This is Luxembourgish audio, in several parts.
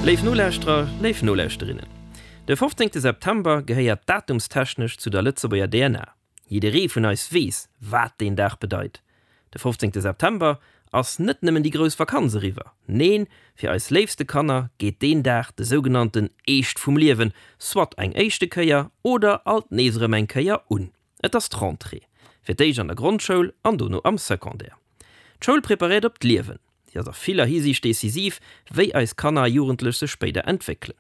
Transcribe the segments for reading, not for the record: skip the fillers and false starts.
Léif Nolauschterer, léif Nolauschterinnen, de 15 September gehéiert datumstechnesch zu der Lëtzebuerger DNA. Jidderee vun eis weess, wat deen Dag bedeit. De 15 September ass net nëmmen déi grouss Vakanz eriwwer. Neen, fir eis léifste Kanner geet deen Dag de sougenannten Eescht vum Liewen soit eng éischte Kéier oder alt nees erëm eng Kéier un. Et ass d'Rentrée. Fir d'éischt an der Grondschoul an dono am Secondaire. D'Schoul preparéiert op d'Liewen. Si ass a viller Hisiicht decisiv, wéi eis Kanner a Jugendlech sech spéider entwéckelen.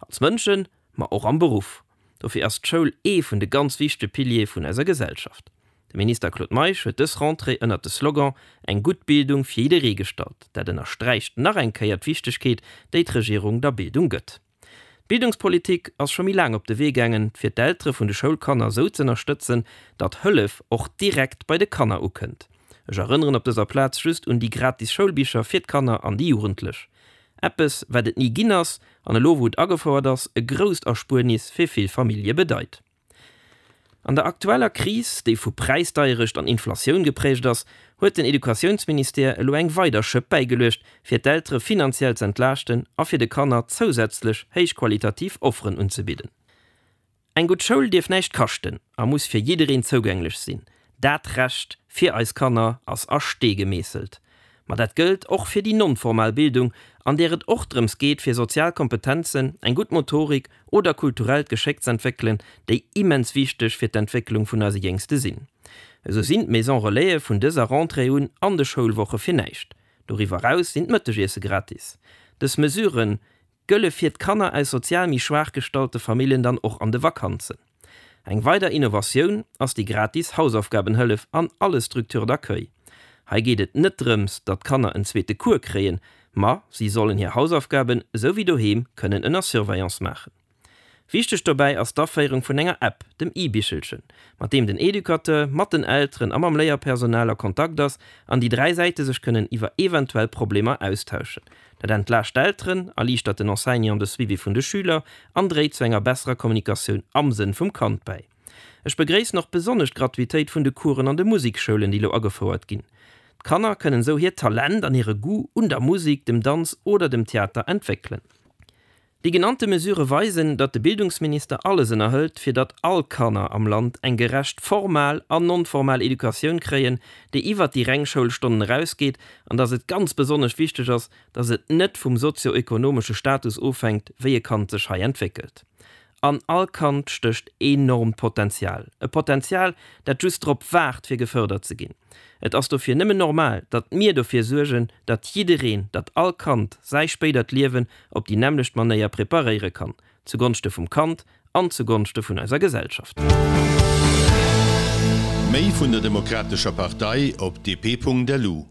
Als Mënschen, ma och am Beruff. Dofir ass d'Schoul ee vun de ganz wichtege Piliere vun eiser Gesellschaft. De Minister Claude Meisch huet dës Rentrée ënnert de Slogan Eng gutt Bildung fir jidderee gestallt. Dat ënnersträicht nach eng Kéier d'Wichtegkeet, déi d'Regierung der Bildung gëtt. D'Bildungspolitik ass scho méi laang op de Wee gaangen, fir d'Eltere vun de Schoulkanner esou z'ënnerstëtzen, datt Hëllef och direkt bei de Kanner ukënnt. Ech erënneren op dëser Plaz just un déi gratis Schoulbicher fir d'Kanner an déi Jugendlech. Eppes, wat et ni ginn ass, an elo wou et agefouert ass, e grousst Erspuernis fir vill Famillje bedeit. An der aktueller Kris, déi vu Präisdeierecht an Inflatioun geprägt ass, huet den Educatiounsministère elo eng weider Schëpp bäigeluecht, fir d'Eltere finanziell z'entlaaschten a fir de Kanner zousätzlech héichqualitativ Offeren unzebidden. Eng gutt Schoul dierf näischt kaschten a muss fir jiddereen zougänglech sinn. Dat Recht fir eis Kanner ass a Stee gemeesselt. Ma dat gëllt och fir déi non-formal Bildung, an där et och drëms geet fir sozial Kompetenzen, eng gutt Motorik oder kulturellt Geschéck z'entwéckelen, déi immens wichteg fir d'Entwécklung vun eise Jéngste sinn. Esou sinn d'Maison Relaise vun dëser Rentrée un an de Schoulwoche fir näischt. Doriwwer eraus sinn d'Mëttegiesse gratis. Dës Mesuren gëlle fir d'Kanner aus sozial méi schwaach gestallte Familljen dann och an de Vakanzen. Eng weider Innovatioun ass déi gratis Hausaufgabenhëllef an alle Structures d'accueil. Hei geet et net drëms, datt d'Kanner en zweete Cours kréien, ma si sollen hir Hausaufgaben esou wéi doheem kënnen ënner Surveillance maachen. Wichteg dobäi ass d'Aféierung vun enger App, dem e-Bichelchen, mat deem den Educateur mat den Elteren a mam Léierpersonal a Kontakt ass an déi 3 Säite sech kënnen iwwer eventuell Problemer austauschen. Dat entlaascht d'Elteren, erliichtert den Enseignant de Suivi vun de Schüler an dréit zu enger besserer Kommunikatioun am Sënn vum Kand bäi. Ech begréissen och besonnesch d'Gratuitéit vun de Coursen an de Musikschoulen, déi elo agefouert ginn. D'Kanner kënnen esou hiert Talent an hire Goût un der Musik, dem Danz oder dem Theater entwéckelen. Déi genannte Mesurë weisen, datt de Bildungsminister alles ënnerhëlt, fir datt all Kanner am Land eng gerecht formal an non-formal Educatioun kréien, déi iwwert déi reng Schoulstonnen erausgeet, an datt et ganz besonnesch wichteg ass, datt et net vum sozio-ökonomesche Status ofhänkt, wéi e Kand sech hei entwéckelt. An all Kand stécht enormt Potenzial, e Potenzial, dat just drop waart, fir gefërdert ze ginn. Et ass dofir nëmmen normal, datt mir dofir suergen, datt jiddereen, datt all Kand säi spéidert Liewen op déi nämmlecht Manéier preparéiere kann, zugonschte vum Kand an zugonschte vun eiser Gesellschaft. Méi vun der Demokratescher Partei op dp.lu.